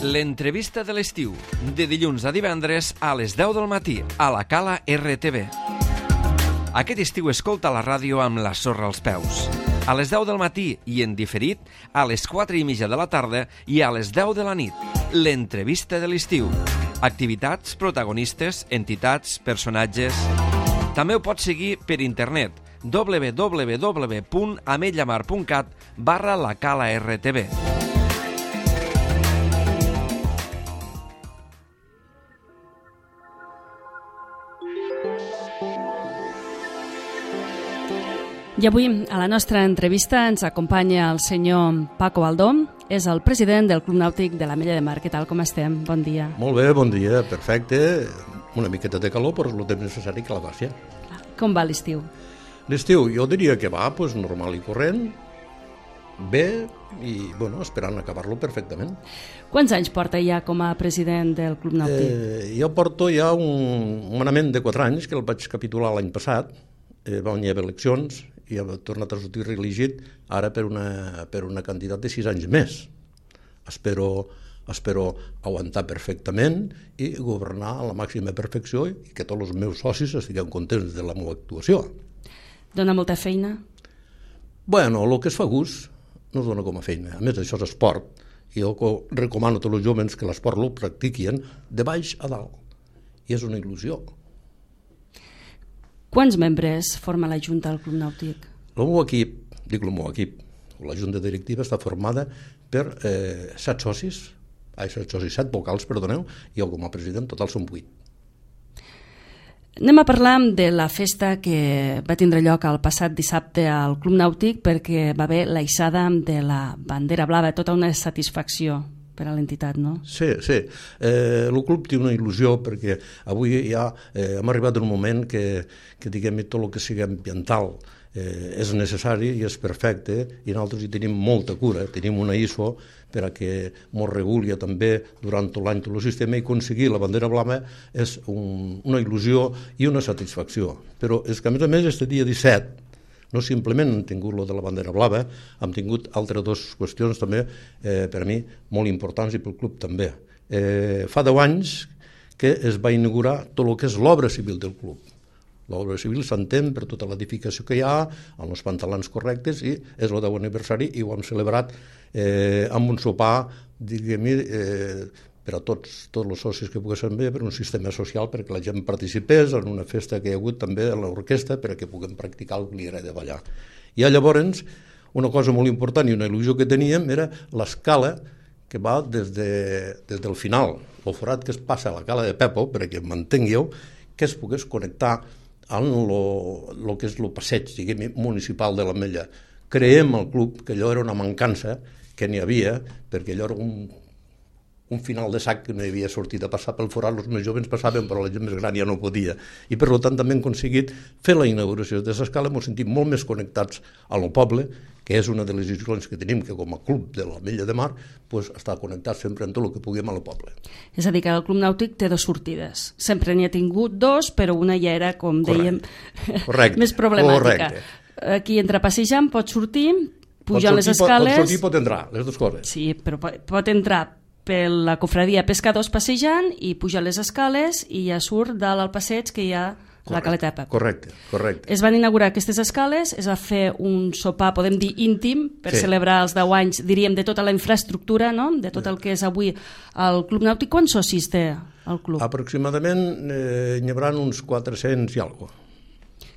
L'entrevista de l'estiu, de dilluns a divendres a les 10 del matí, a la Cala RTV. Aquest estiu escolta la ràdio amb la sorra als peus. A les 10 del matí i en diferit, a les 4:30 de la tarda i a les 10 de la nit. L'entrevista de l'estiu. Activitats, protagonistes, entitats, personatges... També ho pots seguir per internet www.ametlllamar.cat/la-cala-rtv. I avui, a la nostra entrevista, ens acompanya el senyor Paco Baldó, és el president del Club Nàutic de l'Ametlla de Mar. Què tal, com estem? Bon dia. Molt bé, bon dia, perfecte. Una miqueta de calor, però és el temps necessari que la passi. Com va l'estiu? L'estiu, jo diria que va normal i corrent, bé, i esperant acabar-lo perfectament. Quants anys porta ja com a president del Club Nàutic? Jo porto ja un manament de 4 anys, que el vaig capitular l'any passat, va guanyar eleccions, i ha tornat a sortir reelegit ara per una quantitat de 6 anys més. Espero aguantar perfectament i governar a la màxima perfecció i que tots els meus socis estiguem contents de la meva actuació. Dona molta feina? El que es fa gust no es dona com a feina. A més, això és esport. I jo recomano a tots els joves que l'esport el practiquin de baix a dalt. I és una il·lusió. Quants membres forma la Junta del Club Nàutic? El meu equip, la Junta Directiva està formada per 7 socis, 7 vocals, perdoneu, i jo com a president total són 8. Anem a parlar de la festa que va tindre lloc el passat dissabte al Club Nàutic, perquè va haver la hissada de la bandera blava, tota una satisfacció per a l'entitat, no? Sí. El club té una il·lusió perquè avui ja hem arribat a un moment que diguem tot el que sigui ambiental és necessari i és perfecte, i nosaltres hi tenim molta cura. Tenim una ISO per a que ens reguli també durant tot l'any tot el sistema, i aconseguir la bandera blava és una il·lusió i una satisfacció. Però és que a més este dia 17 no simplement hem tingut lo de la bandera blava, hem tingut altres 2 qüestions també per a mi molt importants i pel club també. Fa 10 anys que es va inaugurar tot el que és l'obra civil del club. L'obra civil s'entén per tota l'edificació que hi ha, amb els pantalons correctes, i és el 10è aniversari i ho hem celebrat amb un sopar, diguem-ne, per a tots els socis que poguessin bé, per un sistema social, perquè la gent participés en una festa que hi ha hagut també a l'orquestra, perquè puguem practicar el que li agrada ballar. I llavors, una cosa molt important i una il·lusió que teníem era l'escala que va des del final, el forat que es passa a la cala de Pepo, perquè m'entengueu, que es pogués connectar amb el que és el passeig, diguem, municipal de l'Ametlla. Creiem al club que allò era una mancança que n'hi havia, perquè allò era un final de sac que no hi havia sortit a passar pel forat. Els més joves passaven, però la gent més gran ja no podia. I per tant també hem aconseguit fer la inauguració de l'escala. Ens sentim molt més connectats al poble, que és una de les il·lusions que tenim, que com a club de l'Ametlla de Mar està connectat sempre amb tot el que puguem al poble. És a dir, que el Club Nàutic té 2 sortides. Sempre n'hi ha tingut 2, però una ja era, com dèiem, més problemàtica. Aquí, entre passejant, pot sortir, pujar les escales... Pot sortir, pot entrar, les dues coses. Sí, però pot entrar per la cofradia Pescadors passejant i pujar les escales i ja surt dalt al passeig que hi ha la caleta de Pep. Correcte. Es van inaugurar aquestes escales, es va fer un sopar, podem dir íntim, per celebrar els 10 anys, diríem, de tota la infraestructura, no? De tot el que és avui el Club Nàutic. Quants socis té el club? Aproximadament n'hi haurà uns 400 i alguna cosa.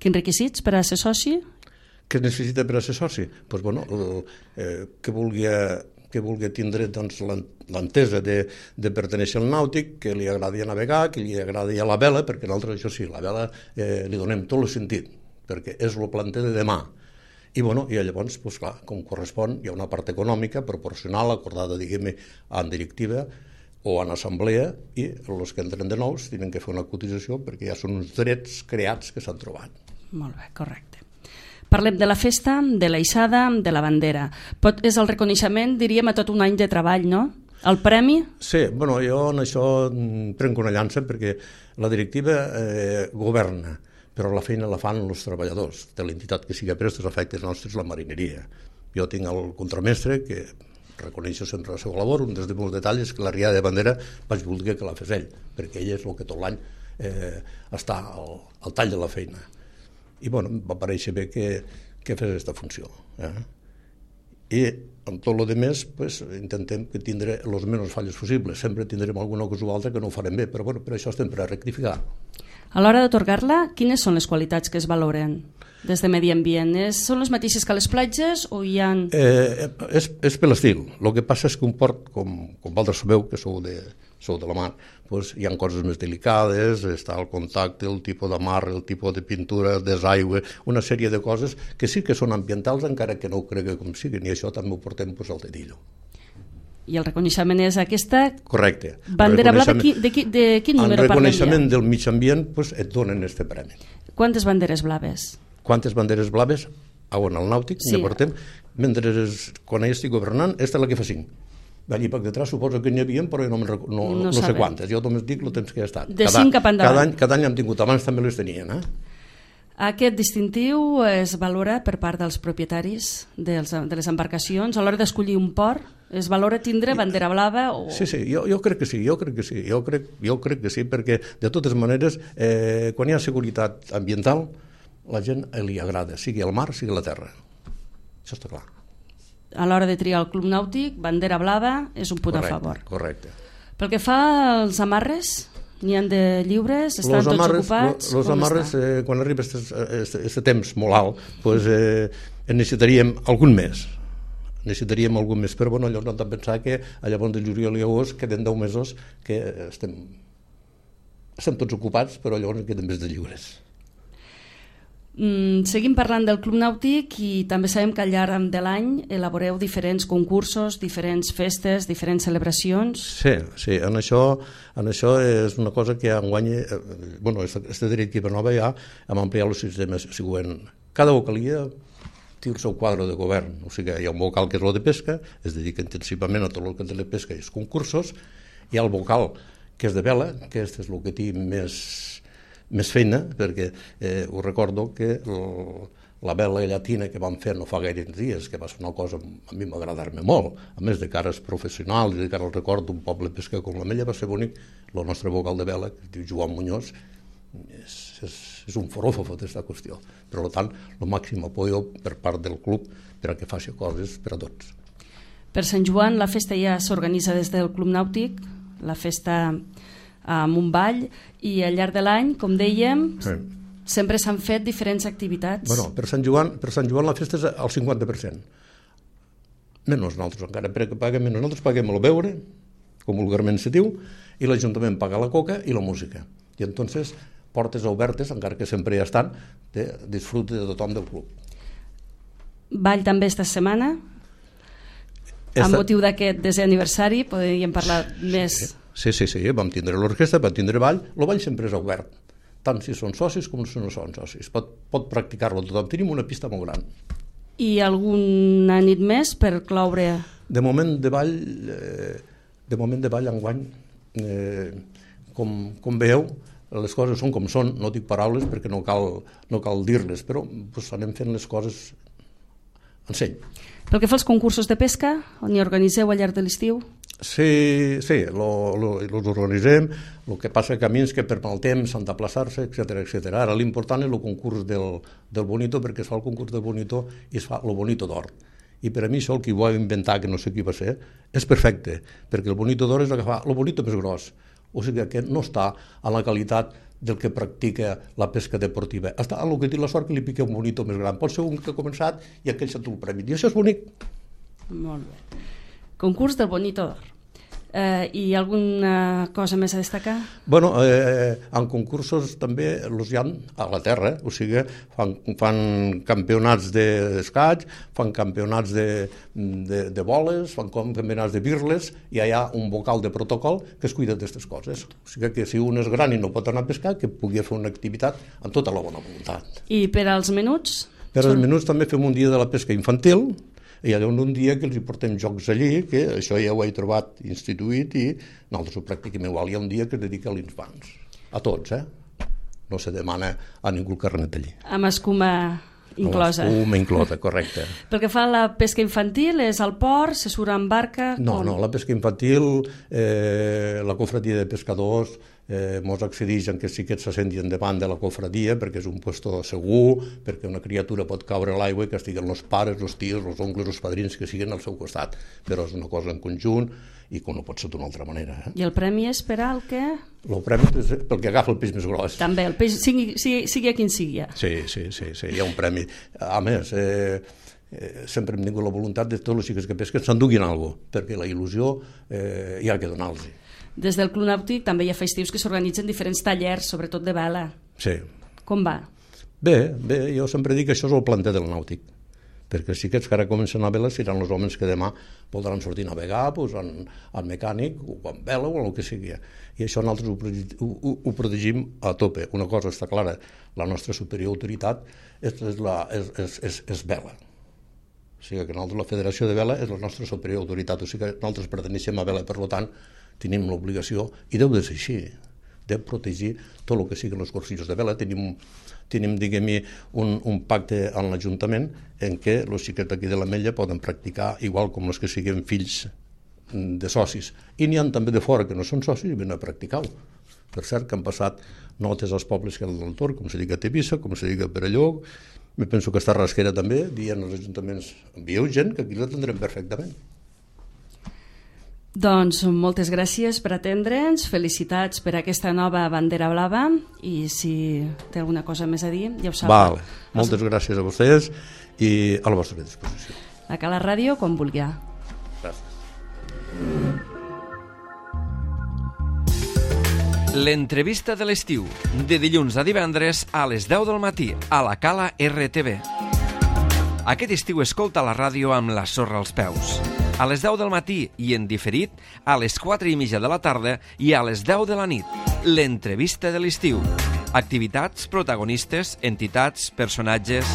Quins requisits per a ser soci? Què es necessita per a ser soci? Doncs, que vulgui tindre l'entesa de pertenèixer al nàutic, que li agradi a navegar, que li agradi a la vela, perquè nosaltres, això sí, la vela li donem tot el sentit, perquè és el planter de demà. I llavors, clar, com correspon, hi ha una part econòmica proporcional, acordada, diguem-ne, en directiva o en assemblea, i els que entren de nous tenen que fer una cotització perquè ja són uns drets creats que s'han trobat. Molt bé, correcte. Parlem de la festa, de la hissada, de la bandera. És el reconeixement, diríem, a tot un any de treball, no? El premi? Sí, jo en això prenc una llança perquè la directiva governa, però la feina la fan els treballadors de l'entitat que sigui per aquests efectes nostres, la marineria. Jo tinc el contramestre que reconèixer sempre la seva labor. Un dels meus detalls és que la riada de bandera vaig voler que la fes ell, perquè ell és el que tot l'any està al tall de la feina. I bueno, va parèixer bé que fes aquesta funció. I amb tot el demés intentem que tindre les menys falles possibles. Sempre tindrem alguna cosa o altra que no ho farem bé, però bueno, per això estem per a rectificar. A l'hora d'atorgar-la, quines són les qualitats que es valoren des de Medi Ambient? Són les mateixes que a les platges o hi ha... És per l'estil. El que passa és que un port, com vosaltres sabeu, que sou de la mar, hi ha coses més delicades, està el contacte, el tipus de mar, el tipus de pintura, desaigüe, una sèrie de coses que sí que són ambientals, encara que no ho cregui com siguin, i això també ho portem al dedillo. I el reconeixement és aquesta... Correcte. Bandera blava, de quin número parlem ja? El reconeixement del mig ambient et donen aquest premi. Quantes banderes blaves? Quantes banderes blaves? On al nàutic ne portem. Mentre quan ell estic governant, aquesta és la que fa 5. D'allí per detrás suposo que n'hi havia, però no sé quantes. Jo només dic el temps que he estat. De 5 cap endavant. Cada any hem tingut, abans també les tenien. Aquest distintiu es valora per part dels propietaris de les embarcacions. A l'hora d'escollir un port, es valora tindre bandera blava? Sí, jo crec que sí. Jo crec que sí, perquè de totes maneres, quan hi ha seguretat ambiental, la gent li agrada, sigui el mar, sigui la terra. Això està clar. A l'hora de triar el club nàutic, bandera blava és un punt a favor. Correcte. Pel que fa als amarres, n'hi ha de lliures? Estan tots ocupats? Els amarres, quan arriba aquest temps molt alt, en necessitaríem algun més. Però bueno, llavors no hem de pensar que llavors de juliol i agost queden 10 mesos que estem tots ocupats, però llavors queden més de lliures. Seguim parlant del Club Nàutic i també sabem que al llarg de l'any elaboreu diferents concursos, diferents festes, diferents celebracions. Sí, en això és una cosa que enguany, este dret que nova ja hem ampliat el sistema següent. Cada vocalia té el seu quadre de govern, o sigui, hi ha un vocal que és el de pesca, es dedica intensivament a tot el que té de pesca i els concursos, hi ha el vocal que és de vela, que és el que té més feina, perquè ho recordo que la vela llatina que vam fer no fa gaire dies, que va ser una cosa a mi m'agradar-me molt, a més de cares professionals i de cara al record d'un poble pesca com la Mella, va ser bonic. El nostre vocal de vela, que es diu Joan Muñoz, és un foròfofo d'esta qüestió. Per tant, el màxim apoyo per part del club per a que faci coses per a tots. Per Sant Joan la festa ja s'organitza des del Club Nàutic, la festa amb un ball, i al llarg de l'any, com dèiem, sempre s'han fet diferents activitats. Per Sant Joan la festa és al 50%. Menys nosaltres, encara que paguem menys. Nosaltres paguem el beure, com vulgarment se diu, i l'Ajuntament paga la coca i la música. I entonces, portes obertes, encara que sempre hi estan, de disfrute de tothom del club. Ball també esta setmana? Amb motiu d'aquest 10è aniversari, podríem parlar més... Sí, vam tindre l'orquestra, vam tindre ball. El ball sempre és obert, tant si són socis com si no són socis. Pot practicar-lo tothom. Tenim una pista molt gran. I alguna nit més per cloure? De moment de ball enguany, com veieu, les coses són com són. No dic paraules perquè no cal dir-les, però anem fent les coses en seny. Pel que fa als concursos de pesca, on hi organitzeu al llarg de l'estiu? Sí, els organitzem, el que passa camins que per mal temps s'han d'aplaçar-se, etc. Ara l'important és el concurs del Bonito, perquè es fa el concurs del Bonito i es fa el Bonito d'Or. I per a mi això, el que ho va inventar, que no sé qui va ser, és perfecte, perquè el Bonito d'Or és el que fa el Bonito més gros. O sigui que no està a la qualitat del que practica la pesca deportiva. Està a el que té la sort que li pica un Bonito més gran. Pot ser un que ha començat i aquell s'ha tret el premi. I això és bonic. Molt bé. Concurs del Bonito d'Or. I alguna cosa més a destacar? En concursos també els hi ha a la terra, o sigui, fan campionats d'escaig, fan campionats de boles, fan campionats de birles, i hi ha un vocal de protocol que es cuida d'aquestes coses. O sigui que si un és gran i no pot anar a pescar, que pugui fer una activitat amb tota la bona voluntat. I per als menuts? Per als menuts també fem un dia de la pesca infantil, i hi ha un dia que els hi portem jocs allí, que això ja ho he trobat instituït i nosaltres ho practiquem igual. Hi ha un dia que es dedica als infants, a tots, no se demana a ningú el carnet allí. Amb escuma inclosa. L'espuma inclosa, correcte. Pel que fa a la pesca infantil, és al port, se surt en barca... No, la pesca infantil, la cofradia de pescadors mos accedeix en que els xiquets se sentin davant de la cofradia perquè és un puesto segur, perquè una criatura pot caure a l'aigua i que estiguen els pares, els tios, els oncles, els padrins que siguin al seu costat, però és una cosa en conjunt i que no pot ser d'una altra manera. I el premi és per al que? El premi és pel que agafa el peix més gros. També, el peix sigui a quin sigui. Sí, hi ha un premi. A més, sempre hem tingut la voluntat de tots els xiquets que pesquen s'enduguin alguna cosa, perquè la il·lusió hi ha que donar-los. Des del Club Nàutic també hi ha festius que s'organitzen diferents tallers, sobretot de vela. Sí. Com va? Bé, jo sempre dic que això és el planter del nàutic, perquè els xiquets que ara comencen a vela seran els homes que demà voldran sortir a navegar pues, en mecànic o en vela o en el que sigui. I això nosaltres ho protegim a tope. Una cosa està clara, la nostra superior autoritat és vela. O sigui que nosaltres, la Federació de Vela és la nostra superior autoritat, o sigui que nosaltres perteneixem a vela, per tant, tenim l'obligació, i deu de ser així, de protegir tot el que siguin els cursillos de vela. Tenim diguem-hi, un pacte amb l'Ajuntament en què els xiquets d'aquí de l'Ametlla poden practicar igual com els que siguin fills de socis. I n'hi ha també de fora que no són socis i venen a practicar-ho. Per cert, que han passat notes als pobles que eren del Tor, com se diga a Tivissa, com se diga a Perelló, me penso que està a Rasquera també, dient als ajuntaments, envieu gent, que aquí la tindrem perfectament. Doncs moltes gràcies per atendre'ns, felicitats per aquesta nova bandera blava i si té alguna cosa més a dir, ja ho sabeu. Vale. Moltes gràcies a vostès i a la vostra disposició. A Cala Ràdio, quan vulgui. Gràcies. L'entrevista de l'estiu, de dilluns a divendres a les 10 del matí, a la Cala RTV. Aquest estiu escolta la ràdio amb la sorra als peus. A les 10 del matí i en diferit a les 4:30 de la tarda i a les 10 de la nit. L'entrevista de l'estiu. Activitats, protagonistes, entitats, personatges...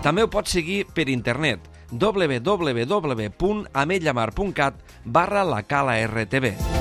També ho pots seguir per internet www.ametlamar.cat/la Cala RTV.